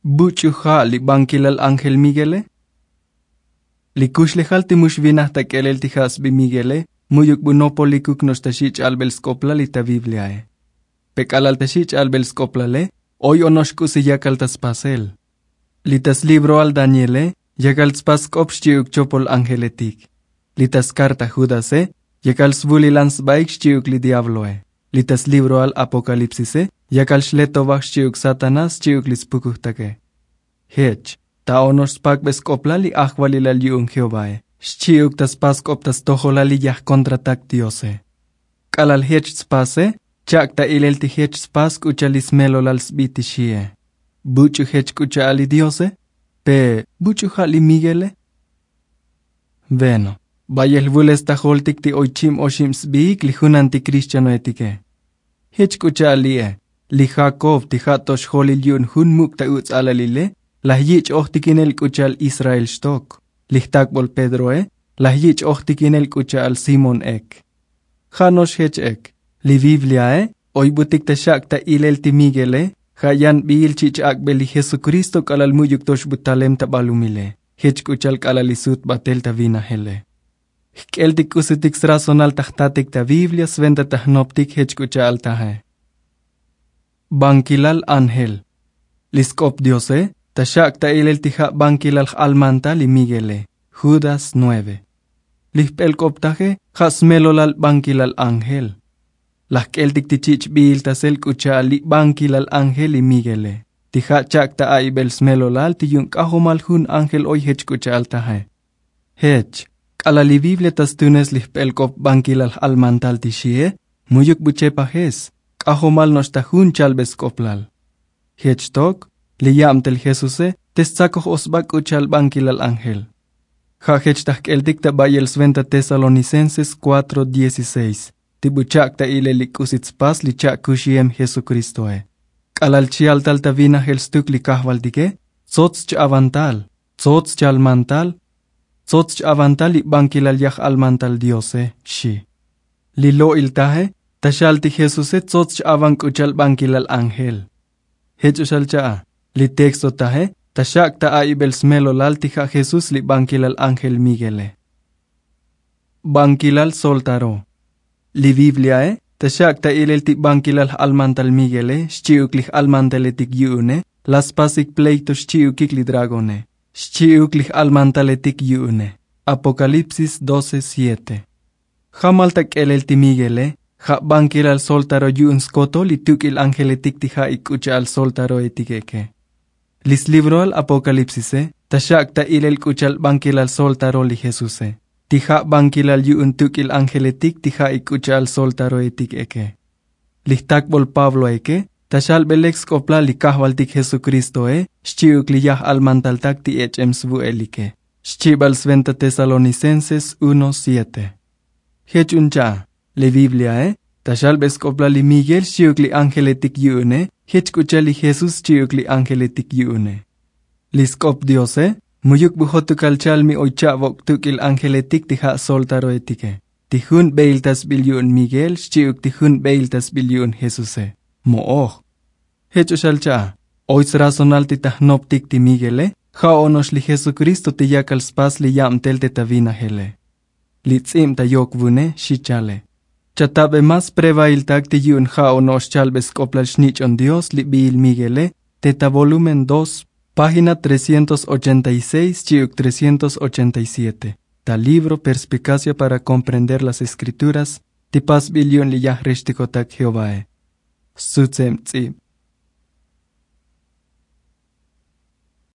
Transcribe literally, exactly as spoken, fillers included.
Buch'u ja' li bankilal ángel miguele? Li kuxlejal ti mu xvinaj ta k'elel ti ja' sbi miguele, mu'yuk bu nopolikuk no'ox ta xi' ch'albel sk'oplal li ta bibliae. Pe k'alal ta xi' ch'albel sk'oplale, oy ono'ox k'usi yakal ta spasel. Li ta slibroal daniele, yakal tspas sk'op xchi'uk chopol ángeletik. Li ta skarta judase, yakal svulilan sbaik xchi'uk li diabloe. Li ta slibroal apokalipsise, yakal xletovaj xchi'uk satanás xchi'uk li spukujtake. Jech, ta ono'ox spakbe sk'oplal li ajvalilal yu'un jehovae, xchi'uk ta spas sk'op ta stojolal li yajkontratak diose. K'alal jech tspase, chak' ta ilel ti jech tspas k'u cha'al li smelolal sbi ti xie. Buch'u jech k'u cha'al li diose? Pe buch'u ja' li miguele? Bueno, bayel jvul stajoltik ti oy chim oxib sbiik li junan ti kristianoetike. Jech k'u cha'al li'e, li jakob ti ja' to xjolil yu'un jun muk' ta uts' alalile, laj yich' ojtikinel k'u cha'al israel xtok. Li jtakbol pedroe, laj yich' ojtikinel k'u cha'al simón ek. Ja' no'ox jech ek, li bibliae, oybutik ta xak' ta ilel ti miguele, ja' yan biil chich' ak'bel li jesukristo k'alal mu'yuk to xbu talem ta balumile, jech k'u cha'al k'alal li sut batel ta vinajele. Jk'eltik k'usitik srazonal ta jtatik ta biblia sventa ta jnoptik jech k'u cha'al taje. Bankilal ángel. Li sk'op diose, ta xak' ta ilel ti ja' bankilal j'almantal li miguele, judas nueve. Li jp'elk'optaje, ja' smelolal bankilal ángel. Laj jk'eltik ti chich' biiltasel k'u cha'al li bankilal ángel li miguele, ti ja' chak' ta a'ibel smelolal ti yu'un k'ajomal jun ángel oy jech k'u cha'al taje. Jech, k'alal li biblia ta stunes li jp'elk'op bankilal j'almantal ti xie, mu'yuk bu chepajes, k'ajomal no'ox ta jun chalbe sk'oplal. Jech tok, li yabtel jesuse, te stsakoj o sba k'u cha'al bankilal ángel. Ja' jech ta jk'eltik ta bayel sventa tesalonicenses kuatro dieciseis, ti bu chak' ta ilel li k'usi tspas li chak' kuxiem jesukristoe. K'alal chjaltal ta vinajel stuk li kajvaltike, tsots ch-avantal, tsots chalmantal, tsots ch-avantal li bankilal yaj almantal diose, xi. Li lo'il taje, ta xal ti jesuse tsots ch-avan k'u cha'al bankilal ángel. Jech o xal cha'a, li texto taje, ta xak' ta a'ibel smelolal ti ja' jesús li bankilal ángel miguele. Bankilal soltaro. Li bibliae, ta xak' ta ilel ti bankilal j'almantal miguele xchi'uk li j'almantaletik yu'une, laj spasik pleito xchi'ukik li dragone, xchi'uk li j'almantaletik yu'une. Apokalipsis doce siete. Jamal ta k'elel ti miguele, ja' bankilal soltaro yu'un skotol li tuk'il ángeletik ti ja'ik k'u cha'al soltaroetik eke. Li slibroal apokalipsise, ta xak' ta ilel k'u cha'al bankilal soltaro li jesuse, ti ja' bankilal yu'un tuk'il ángeletik ti ja'ik k'u cha'al soltaroetik eke. Li jtakbol pabloeke, ta xalbe lek sk'oplal li kajvaltik jesukristoe, xchi'uk li yaj almantaltak ti ech'em svu'elike, xchibal sventa tesalonicenses uno siete. Jech un cha'a, li bibliae, ta xalbe sk'oplal li miguel xchi'uk li ángeletik yu'une, jech k'u cha'al li jesús xchi'uk li ángeletik yu'une. Li sk'op diose, mu'yuk bu jotukal cha'al mi oy cha'bok' tuk'il ángeletik ti ja' soltaroetike, ti jun beiltasbil yu'un miguel xchi'uk ti jun beiltasbil yu'un jesuse, mo'oj. Jech o xal cha'a, oy srazonal ti ta jnoptik ti miguele, ja' ono'ox li jesukristo ti yakal spas li yabtel te ta vinajele. Li ts'ib ta yok vune, xi chale. Chatabe mas prevailtak ti yu'un ja' ono'ox chalbe sk'oplal xnich'on dios li biil miguele, te ta volumen dos, página trescientos ochenta y seis xchi'uk trescientos ochenta y siete, ta libro perspicacia para comprender las escrituras, ti pasbil yu'un li yaj rextikotak jehovae. Sutseb ts'ib.